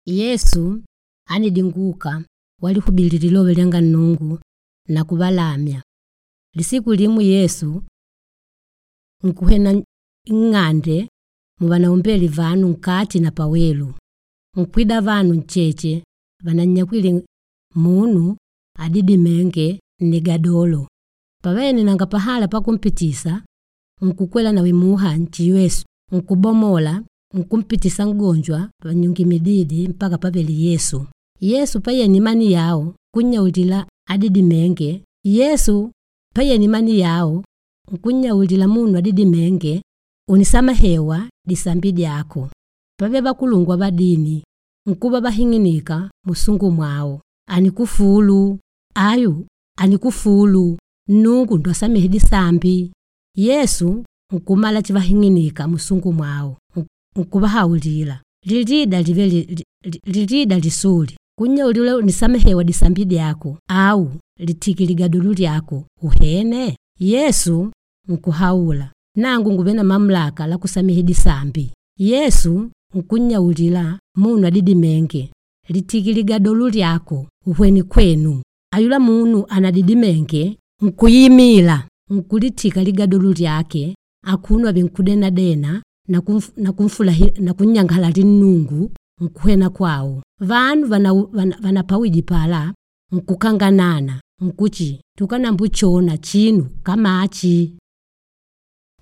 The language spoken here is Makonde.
Yesu anidinguka walihubili lilove lyanga Nnungu na kuvalamya. Lisiku limu Yesu nkuhena nng'ande muvanaumbele vanu nkati na pawelu. Nkwida vanu ncheche vanannyakwile munu adidimênge nnigadolo. Pavene nanga pahala pakumpitisa, nkukwela nawe muha nchiwesu, nkubomola, nkumpitisa mgonjwa panyungimididi mpaka pavele Yesu. Yesu payene imani yao kunnyaulila adidimênge. Yesu payene imani yao nkunnyaulila munu adidimênge, unisamahewa disambi dyako. Pave vakulungwa va dini nkuva vahing'inika musungu mwao, anikufulu ayu anikufulu Nnungu ndo asamehe disambi. Yesu nkumala chivahing'inika musungu mwao, nkuvahaulila lilida live lilida lisuli kunnyaulila unisamehewa disambi dyako au litiki ligadolu lyako uhene. Yesu nkuhaula nangu nguve na mamlaka la kusamehe disambi. Yesu nkunnyaulila munu adidimênge, litiki ligadolu lyako uhweni kwenu. Ayula munu anadidimenge nkuyimila nkulitika ligadolu lyake akuno avenkudenadena na kunnyangala Nnungu nkuhena kwao. Vanu vanapawiji pala nkukanganana nkuchi tukanambuchona chinu kama achi.